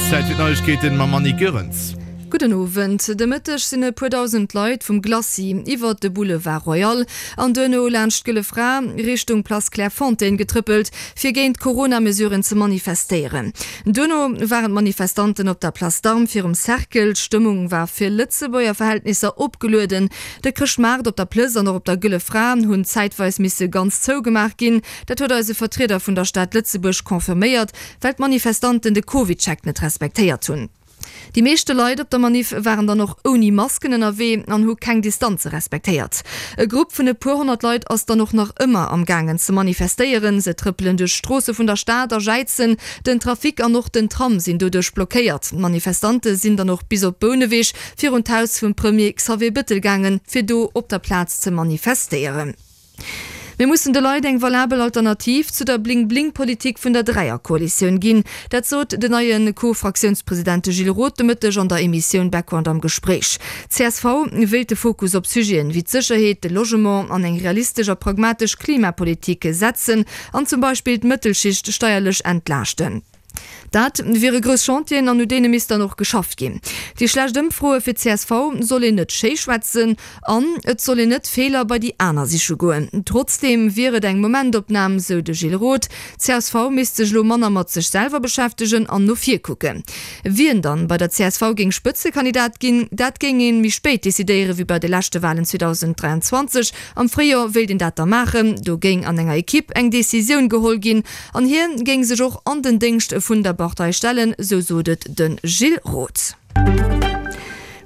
Zäit fir d'Neiegkeeten mam Annick Goerens. Gudden Owend. De Mëtteg sinn e puer dausend Leit vum Glacis iwwert de Boulevard Royal an duerno laanscht d'Gëlle Fra Richtung Place Clairefontaine getrëppelt, fir géint d'Corona-Mesuren ze manifestéieren. Duerno waren d'Manifestanten op der Place d'Armes virum Cercle. D'Stëmmung war fir Lëtzebuerger Verhältnisser opgelueden. De Chrëschtmaart op der Plëss an och op der Gëlle Fra hunn zäitweis misse ganz zougemaach ginn. Dat huet eis e Vertrieder vun der Stad Lëtzebuerg confirméiert, well d'Manifestanten de CovidCheck net respektéiert hunn. Déi meeschte Leit op der Maniff waren dann och ouni Masken ënnerwee an hu keng Distanze respektéiert. E Grupp vun e puer 100 Leit ass dann och nach ëmmer am gaangen ze manifestéieren. Se trëppelen duerch d'Stroosse vun der Stad a jäizen. Den Trafic an och den Tram sinn doduerch blockéiert. D'Manifestante sinn dann och bis op Bouneweg virun d'Haus vum Premier Xavier Bëttel gaangen, fir do op der Plaz ze manifestéieren. Mir mussen de Leit eng valabel Alternativ zu der Bling-Bling-Politik vun der Dräierkoalitioun ginn. Dat sot den neie Co-Fraktiounspresident Gilles Roth de Mëtteg an der Emissioun Background am Gespréich. Csv wéilt de Fokus op Sujeten wéi d'Sécherheet, de Logement an eng realistesch a pragmatesch Klimapolitik setzen an zum Beispill d'Mëttelschicht steierlech entlaaschten. Dat wiere grouss Chantieren an u deene misst dann och geschafft ginn. Déi schlecht Ëmfroe fir csv soll een net schéi schwätzen an et soll een net Feeler bei déi aner siche goen. Trotzdeem wier et eng Momentopnam, sou de Gilles Roth. Csv misst sech elo manner mat sech selwer beschäftegen an no vir kucken. Wien dann bei der csv géing Spëtzekandidat ginn, dat géing ee méi spéit decidéiere wéi bei de leschte Walen 2023. Am Fréijoer wéilt een dat da maachen. Do géing an enger Ekipp eng Decisioun geholl ginn. An hie géing sech och an den Déngscht vun der Partei stellen, sou sot et de Gilles Roth.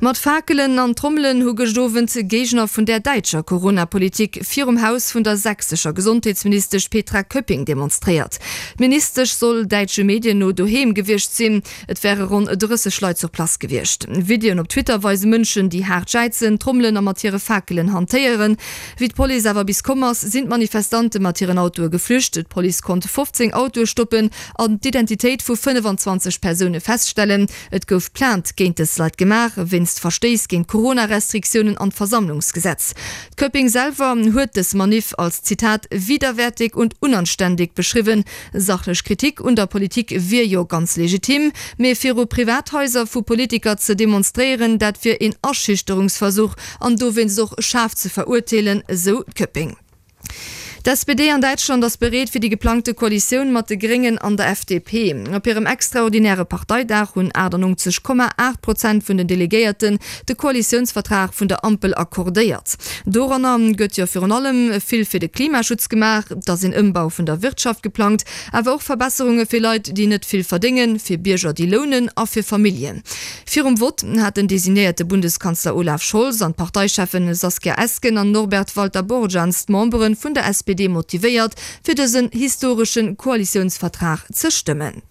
Mat Fakelen an Trommelen hu gëscht Owend Géigner vun der däitscher Corona-Politik virum Haus vun der sächsescher Gesondheetsministesch Petra Köpping demonstréiert. D'Ministesch soll däitsche Medien no doheem gewiescht sinn. Et wäre ronn 30 Leit sur place gewiescht. Videoen op Twitter weise Mënschen, déi haart jäizen, trommelen a mat hire Fakelen hantéieren. Wéi d'Police awer bis komm ass, sinn d'Manifestante mat hiren Autoe geflücht. D'Police konnt 15 Autoe stoppen an d'Identitéit vu 25 Persoune feststellen. Et gouf Plainte géint dës Leit gemaach, wéinst Verstéiss géint d'Corona-Restriktiounen an d'Versammlungsgesetz. D'Köpping selwer huet dës Maniff als, Zitat, widerwärtig und unanständig beschriwwen. Sachlech Kritik un der Politik wier jo ganz legitim, mee viru Privathaiser vu Politiker ze demonstréieren, dat wier een Aschüchterungsversuch an dowéinst och schaarf ze verurteelen, esou d'Köpping. D'SPD an Däitschland ass bereet fir déi geplangte Koalitioun mat de Gréngen an der FDP. Op hirem extraordinäre Parteidag hunn 98,8 Prozent vun den Delegéierten de Koalitiounsvertrag vun der Ampel accordéiert. Doranner gëtt jo virun allem vill fir de Klimaschutz gemaach, et ass een Ëmbau vun der Wirtschaft geplangt, awer och Verbesserunge fir Leit, déi net vill verdéngen, fir Bierger, déi lounen a fir Familljen. Virum Vott hat den designéierte Bundeskanzler Olaf Scholz an d'Parteicheffen Saskia Esken an Norbert Walter-Borjans d'Membere vun der SPD motivéiert, fir dësen historesche Koalitiounsvertrag ze stëmmen.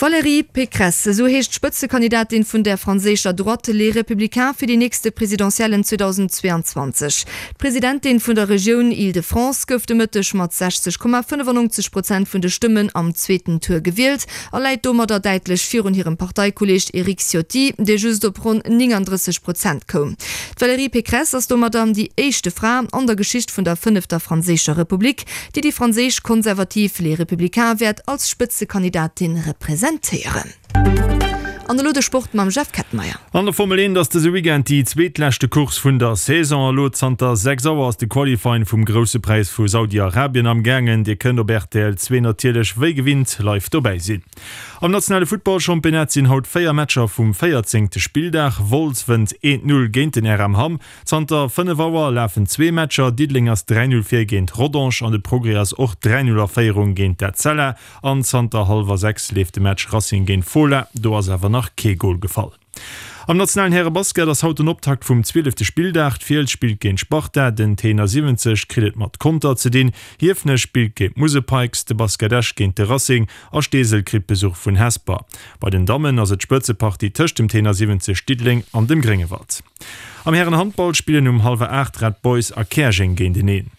Valérie Pécresse, esou heescht d'Spëtzekandidatin vun der franséischer Droite Les Républicains fir déi nächste Presidentiellen 2022. D'Presidentin vun der Regioun Île-de-France gouf de Mëtteg mat 60,95 Prozent vun de Stëmmen am zweeten Tour gewielt a läit domadder däitlech virun hirem Parteikolleeg Eric Ciotti, dee just op ronn 39 Prozent koum. D'Valérie Pécresse ass domadder déi éischte Fra an der Geschicht vun der fënnefter franséischer Republik, déi déi franséisch Konservativ Les Républicains wäert als Spëtzekandidatin representéieren. An elo de Sport mam Jeff Kettenmeyer. An der Formel 1 ass dëse Weekend déi zweetleschte Course vun der Saison. Elo zanter 6 Auer ass de Qualifying vum Grousse Präis vu Saudi-Arabien am gaangen. Dir kënnt op rtl 2 natierlech wéi gewinnt live dobäi sinn. Am nationale Futtballchampionnat sinn haut 4 Matcher vum 14. Spilldag. Wolz wënnt 1, 0 géint den RM Hamm. Zanter 5 Auer lafen zwee Matcher, Diddeleng ass 3, 0 vir géint Rodange an de Progrès ass och 3, 0 a Féierung géint d'Etzella. An zanter hallwer 6 leeft de Match Racing géint Fola, do ass awer nach kee Gol gefall. Am nationalen Härebasket ass haut den Optakt vum zwielefte Spilldag. D'Fiels spillt géint d'Sparta, den Tenor 70 kritt et mat Conter ze dinn, Hiefenech spillt géint d'Musel Pikes, de Basket Esch géint de Racing a Steesel kritt Besuch vun Hesper. Bei den Dammen ass et d'Spëtzepartie tëscht dem Tenor 70 Diddeleng an dem Gréngewald. Am Härenhandball spillen um hallwer 8 Red Boys a Käerjeng géinteneen.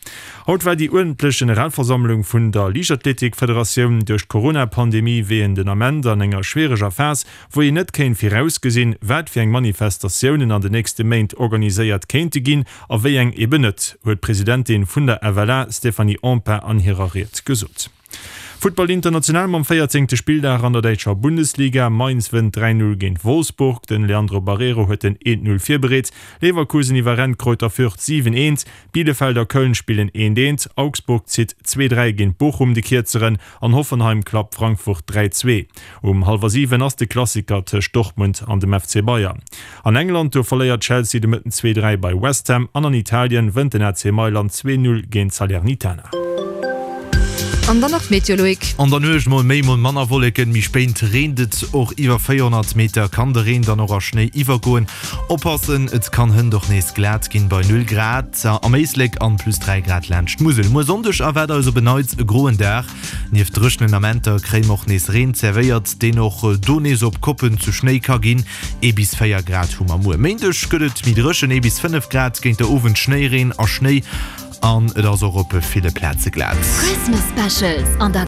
Haut war déi uerdentlech Generalversammlung vun der Liichtathletikfederatioun. Duerch d'Corona-Pandemie wier een den Ament an enger schwiereger Phas, wou een net kéint virausgesinn, wat fir eng Manifestatiounen an den nächste Méint organiséiert kéinte ginn a wéi eng eben net, huet d'Presidentin vun der FLA Stéphanie Empain an hirer Ried gesot. Futtball international mam véierzéngte Spilldag an der däitscher Bundesliga. Mainz wënnt 3, 0 géint Wolfsburg. Den Leandro Barreiro huet den 1, 0 virbereet. Leverkusen iwwerrennt Greuther Fürth 7, 1. Bielefeld a Köln spillen 1, 1. Augsburg zitt 2, 3 géint Bochum de Kierzeren an Hoffenheim klappt Frankfurt 3, 2. Um hallwer 7 ass de Klassiker tëscht Dortmund an dem FC Bayern. An England, do verléiert Chelsea de Mëtten 2, 3 bei West Ham an an Italien wënnt den AC Mailand 2, 0 géint Salernitana. An dann nach d'Meteo, Loïc. An der Nuecht mol méi, mol manner Wolleken, méi spéit reent et och. Iwwer 400 Meter kann de Reen dann och a Schnéi iwwergoen. Oppassen, et kann hënt och nees glat ginn bei 0 Grad am Éislek an plus 3 Grad laanscht d'Musel. Muer Sonndeg erwaart eis op en Neits e groen Dag. Nieft dréchenen Amenter kréie mer och nees Reen zerwéiert, deen och do nees op Koppen zu Schnéi ka ginn. Ee bis 4 Grad hu mer muer. Méindeg gëtt et méi dréchen, ee bis 5 Grad, géint der Owend Schnéireen a Schnéi an et ass och op ville Plaze glat. Christmas Specials an der.